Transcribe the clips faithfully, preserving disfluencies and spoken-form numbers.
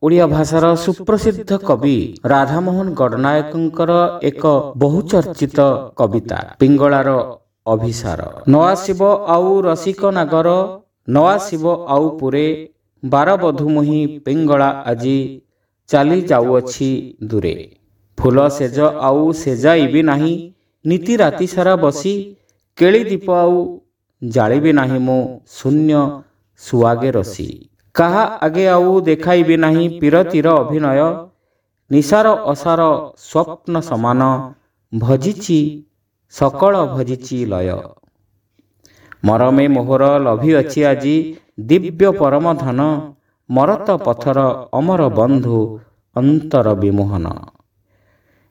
ଓଡ଼ିଆ ଭାଷାର ସୁପ୍ରସିଦ୍ଧ କବି ରାଧାମୋହନ ଗଡ଼ନାୟକଙ୍କର ଏକ ବହୁଚର୍ଚ୍ଚିତ କବିତା ପିଙ୍ଗଳାର ଅଭିସାର। ନ ଆସିବ ଆଉ ରସିକ ନାଗର, ନ ଆସିବ ଆଉ ପୁରେ, ବାରବଧୂ ମୁହିଁ ପିଙ୍ଗଳା ଆଜି ଚାଲି ଯାଉଅଛି ଦୂରେ। ଫୁଲ ଶେଯ ଆଉ ସେଜାଇବି ନାହିଁ, ନିତି ରାତି ସାରା ବସି, କେଳି ଦୀପ ଆଉ ଜାଳିବି ନାହିଁ ମୁଁ ଶୂନ୍ୟ ସୁଆଗେ ରସି। କାହା ଆଗେ ଆଉ ଦେଖାଇବି ନାହିଁ ପୀରତିର ଅଭିନୟ, ନିଶାର ଅସାର ସ୍ୱପ୍ନ ସମାନ ଭଜିଛି ସକଳ ଭଜିଛି ଲୟ। ମରମେ ମୋହର ଲଭିଅଛି ଆଜି ଦିବ୍ୟ ପରମ ଧନ, ମରତ ପଥର ଅମର ବନ୍ଧୁ ଅନ୍ତର ବିମୋହନ।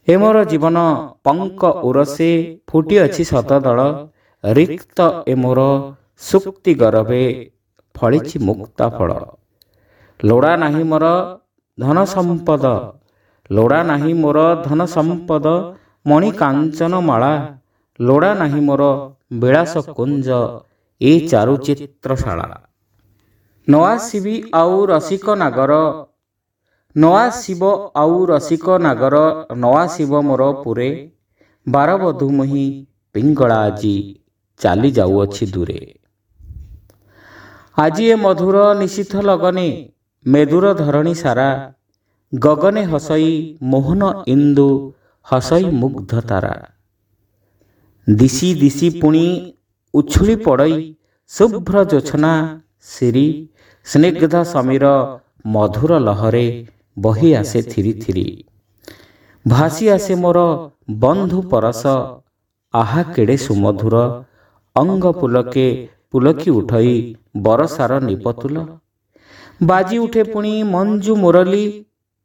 ଏ ମୋର ଜୀବନ ପଙ୍କ ଉରସେ ଫୁଟିଅଛି ଶତଦଳ, ରିକ୍ତ ଏ ମୋର ସୁକ୍ତି ଗରଭେ ଫଳିଛି ମୁକ୍ତା ଫଳ। ଲୋଡ଼ା ନାହିଁ ମୋର ଧନ ସମ୍ପଦ, ଲୋଡ଼ା ନାହିଁ ମୋର ଧନ ସମ୍ପଦ ମଣି କାଞ୍ଚନ ମାଳା, ଲୋଡ଼ା ନାହିଁ ମୋର ବିଳାସ କୁଞ୍ଜ ଏ ଚାରୁଚିତ୍ରଶାଳା। ନ ଆସିବି ଆଉ ରସିକ ନାଗର, ନ ଆସିବ ଆଉ ରସିକ ନାଗର, ନ ଆସିବ ମୋର ପୁରେ, ବାରବଧୂ ମୁହିଁ ପିଙ୍ଗଳା ଆଜି ଚାଲି ଯାଉଅଛି ଦୂରେ। ଆଜି ଏ ମଧୁର ନିଶୀଥ ଲଗନେ ମେଦୁର ଧରଣୀ ସାରା, ଗଗନେ ହସଇ ମୋହନ ଇନ୍ଦୁ ହସଇ ମୁଗ୍ଧ ତାରା। ଦିଶି ଦିଶି ପୁଣି ଉଛୁଳି ପଡ଼ଇ ଶୁଭ୍ର ଜୋଛନା ଶିରୀ, ସ୍ନିଗ୍ଧ ସମୀର ମଧୁର ଲହରେ ବହି ଆସେ ଥିରି ଥିରି। ଭାସି ଆସେ ମୋର ବନ୍ଧୁ ପରଶ ଆହା କେଡ଼େ ସୁମଧୁର, ଅଙ୍ଗ ପୁଲକେ ପୁଲକି ଉଠଇ ବରସାର ନିପତୁଲ। ବାଜି ଉଠେ ପୁଣି ମଞ୍ଜୁ ମୁରଲୀ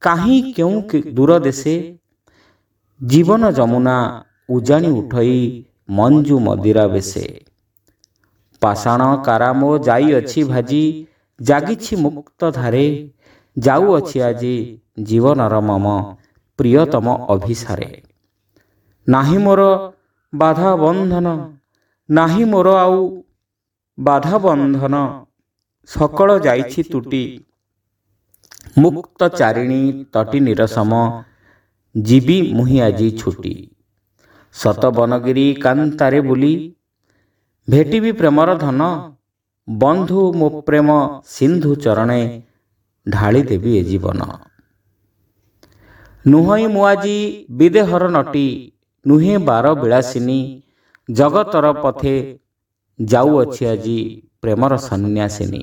କାହିଁ କେଉଁ ଦୂର ଦେଶେ, ଜୀବନ ଯମୁନା ଉଜାଣି ଉଠଇ ମଞ୍ଜୁ ମଦିରା ବେଶେ। ପାଷାଣ କାରା ମୋ ଯାଇଅଛି ଭାଜି ଜାଗିଛି ମୁକ୍ତ ଧାରେ, ଯାଉଅଛି ଆଜି ଜୀବନର ମମ ପ୍ରିୟତମ ଅଭିସାରେ। ନାହିଁ ମୋର ବାଧା ବନ୍ଧନ, ନାହିଁ ମୋର ଆଉ ବାଧା ବନ୍ଧନ, ସକଳ ଯାଇଛି ତୁଟି, ମୁକ୍ତ ଚାରିଣୀ ତଟି ନିରସମ ଯିବି ମୁହିଁ ଆଜି ଛୁଟି। ଶତ ବନଗିରି କାନ୍ତାରେ ବୁଲି ଭେଟିବି ପ୍ରେମର ଧନ, ବନ୍ଧୁ ମୋ ପ୍ରେମ ସିନ୍ଧୁ ଚରଣେ ଢାଳି ଦେବି ଏ ଜୀବନ। ନୁହଁଇ ମୁଁ ଆଜି ବିଦେହର ନଟି, ନୁହେଁ ବାର ବିଳାସିନୀ, ଜଗତର ପଥେ ଯାଉଅଛି ଆଜି ପ୍ରେମର ସନ୍ନ୍ୟାସିନୀ।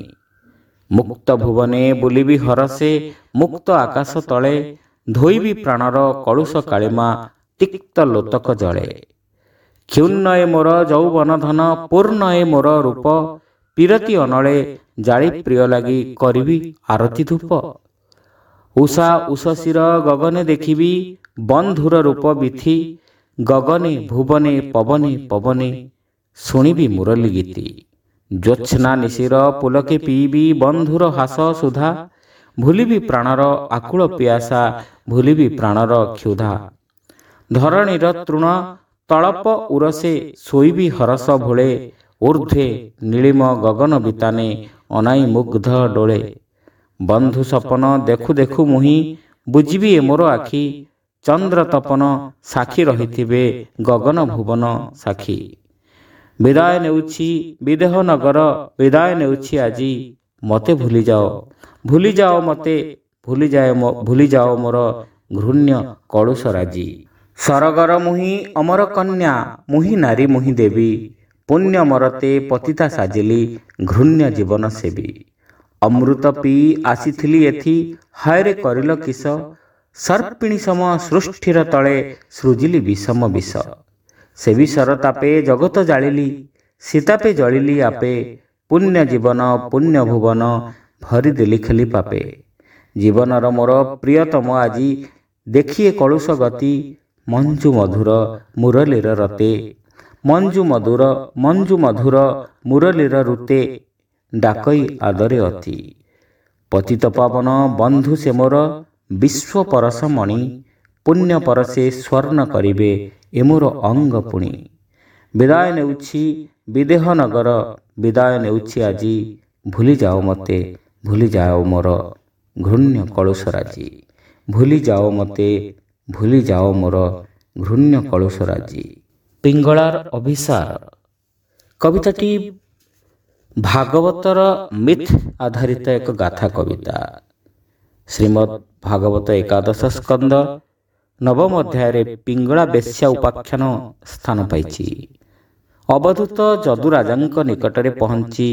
ମୁକ୍ତ ଭୁବନେ ବୁଲିବି ହରସେ ମୁକ୍ତ ଆକାଶ ତଳେ, ଧୋଇବି ପ୍ରାଣର କଳୁଷ କାଳିମା ତିକ୍ତ ଲୋତକ ଜଳେ। କ୍ଷୁଣ୍ଣ ଏ ମୋର ଯୌବନ ଧନ ପୂର୍ଣ୍ଣ ଏ ମୋର ରୂପ, ପୀରତି ଅନଳେ ଜାଳି ପ୍ରିୟ ଲାଗି କରିବି ଆରତି ଧୂପ। ଉଷା ଉଷସୀର ଗଗନେ ଦେଖିବି ବନ୍ଧୁର ରୂପ ବିଥି, ଗଗନେ ଭୁବନେ ପବନେ ପବନେ ଶୁଣିବି ମୁରଲୀ ଗୀତି। ଜ୍ୟୋତ୍ସ୍ନା ନିଶିର ପୁଲକେ ପିଇବି ବନ୍ଧୁର ହାସ ସୁଧା, ଭୁଲିବି ପ୍ରାଣର ଆକୁଳ ପିଆସା ଭୁଲିବି ପ୍ରାଣର କ୍ଷୁଧା। ଧରଣୀର ତୃଣ ତଳପ ଉରସେ ଶୋଇବି ହରସ ଭୋଳେ, ଊର୍ଦ୍ଧ୍ୱେ ନୀଳିମ ଗଗନ ବିତାନେ ଅନାଇ ମୁଗ୍ଧ ଡୋଳେ। ବନ୍ଧୁ ସପନ ଦେଖୁ ଦେଖୁ ମୁହିଁ ବୁଝିବି ଏ ମୋର ଆଖି, ଚନ୍ଦ୍ର ତପନ ସାକ୍ଷୀ ରହିଥିବେ ଗଗନ ଭୁବନ ସାକ୍ଷୀ। ବିଦାୟ ନେଉଛି ବିଦେହ ନଗର ବିଦାୟ ନେଉଛି ଆଜି, ମୋତେ ଭୁଲିଯାଅ ଭୁଲିଯାଅ ମୋତେ ଭୁଲିଯାଅ ଭୁଲିଯାଅ ମୋର ଘୃଣ୍ୟ କଳୁଷ ରାଜି। ସରଗର ମୁହିଁ ଅମର କନ୍ୟା ମୁହିଁ ନାରୀ ମୁହିଁ ଦେବୀ, ପୁଣ୍ୟ ମରତେ ପତିତା ସାଜିଲି ଘୃଣ୍ୟ ଜୀବନ ସେବୀ। ଅମୃତ ପିଇ ଆସିଥିଲି ଏଥି ହୟରେ କରିଲ କିସ, ସର୍ପିଣୀ ସମ ସୃଷ୍ଟିର ତଳେ ସୃଜିଲି ବିଷମ ବିଷ। ସେ ବିଷର ତାପେ ଜଗତ ଜାଳିଲି ସୀତାପେ ଜଳିଲି ଆପେ, ପୁଣ୍ୟ ଜୀବନ ପୁଣ୍ୟ ଭୁବନ ଭରିଦେଲି ଖେଲି ପାପେ। ଜୀବନର ମୋର ପ୍ରିୟତମ ଆଜି ଦେଖିଏ କଳୁଷ ଗତି, ମଞ୍ଜୁ ମଧୁର ମୁରଲୀର ରତେ, ମଞ୍ଜୁ ମଧୁର ମଞ୍ଜୁ ମଧୁର ମୁରଲୀର ଋତେ ଡାକଇ ଆଦରେ ଅତି। ପତିତ ପାବନ ବନ୍ଧୁ ସେ ମୋର ବିଶ୍ୱ ପରଶ ମଣି, ପୁଣ୍ୟ ପରଶେ ସ୍ୱର୍ଣ୍ଣ କରିବେ ଏ ମୋର ଅଙ୍ଗ ପୁଣି। ବିଦାୟ ନେଉଛି ବିଦେହ ନଗର ବିଦାୟ ନେଉଛି ଆଜି, ଭୁଲିଯାଅ ମୋତେ ଭୁଲିଯାଅ ମୋର ଘୃଣ୍ୟ କଳୁଷ ରାଜି। ଭୁଲି ଯାଅ ମୋତେ, ଭୁଲି ଯାଅ ମୋର ଘୃଣ୍ୟ କଳୁଷ ରାଜି। ପିଙ୍ଗଳାର ଅଭିସାର କବିତାଟି ଭାଗବତର ମିଥ୍ ଆଧାରିତ ଏକ ଗାଥା କବିତା। ଶ୍ରୀମଦ୍ ଭାଗବତ ଏକାଦଶ ସ୍କନ୍ଦ ନବମ ଅଧ୍ୟାୟରେ ପିଙ୍ଗଳା ବେଶ୍ୟା ଉପାଖ୍ୟାନ ସ୍ଥାନ ପାଇଛି। ଅବଧୂତ ଯଦୁରାଜାଙ୍କ ନିକଟରେ ପହଞ୍ଚି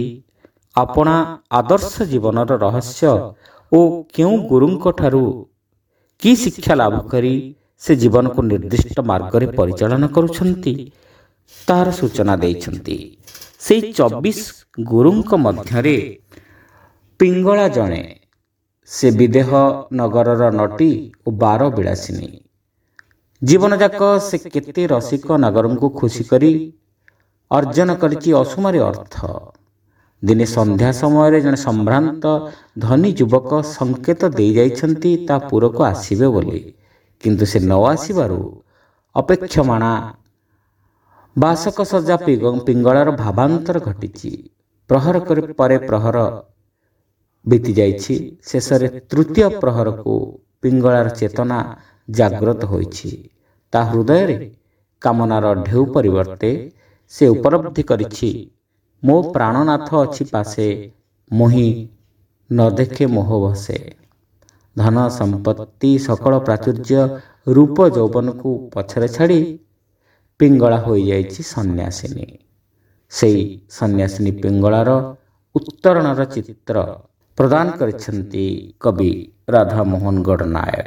ଆପଣା ଆଦର୍ଶ ଜୀବନର ରହସ୍ୟ ଓ କେଉଁ ଗୁରୁଙ୍କଠାରୁ କି ଶିକ୍ଷା ଲାଭ କରି ସେ ଜୀବନକୁ ନିର୍ଦ୍ଦିଷ୍ଟ ମାର୍ଗରେ ପରିଚାଳନା କରୁଛନ୍ତି, ତାହାର ସୂଚନା ଦେଇଛନ୍ତି। ସେଇ ଚବିଶ ଗୁରୁଙ୍କ ମଧ୍ୟରେ ପିଙ୍ଗଳା ଜଣେ। ସେ ବିଦେହ ନଗରର ନଟୀ ଓ ବାର ବିଳାସିନୀ। ଜୀବନଯାକ ସେ କେତେ ରସିକ ନଗରଙ୍କୁ ଖୁସି କରି ଅର୍ଜନ କରିଛି ଅସୁମାରୀ ଅର୍ଥ। ଦିନେ ସନ୍ଧ୍ୟା ସମୟରେ ଜଣେ ସମ୍ଭ୍ରାନ୍ତ ଧନୀ ଯୁବକ ସଂକେତ ଦେଇଯାଇଛନ୍ତି ତା ପୁରକୁ ଆସିବେ ବୋଲି, କିନ୍ତୁ ସେ ନ ଆସିବାରୁ ଅପେକ୍ଷମାଣା ବାସକ ସଜା ପିଙ୍ଗଳାର ଭାବାନ୍ତର ଘଟିଛି। ପ୍ରହର ପରେ ପ୍ରହର ବିତିଯାଇଛି। ଶେଷରେ ତୃତୀୟ ପ୍ରହରକୁ ପିଙ୍ଗଳାର ଚେତନା ଜାଗ୍ରତ ହୋଇଛି। ତା ହୃଦୟରେ କାମନାର ଢେଉ ପରିବର୍ତ୍ତେ ସେ ଉପଲବ୍ଧି କରିଛି, ମୋ ପ୍ରାଣନାଥ ଅଛି ପାଶେ, ମୋହି ନ ଦେଖେ ମୋହ ବସେ। ଧନ ସମ୍ପତ୍ତି ସକଳ ପ୍ରାଚୁର୍ଯ୍ୟ ରୂପ ଯୌବନକୁ ପଛରେ ଛାଡ଼ି ପିଙ୍ଗଳା ହୋଇଯାଇଛି ସନ୍ନ୍ୟାସିନୀ। ସେଇ ସନ୍ନ୍ୟାସିନୀ ପିଙ୍ଗଳାର ଉତ୍ତରଣର ଚିତ୍ର ପ୍ରଦାନ କରିଛନ୍ତି କବି ରାଧାମୋହନ ଗଡ଼ନାୟକ।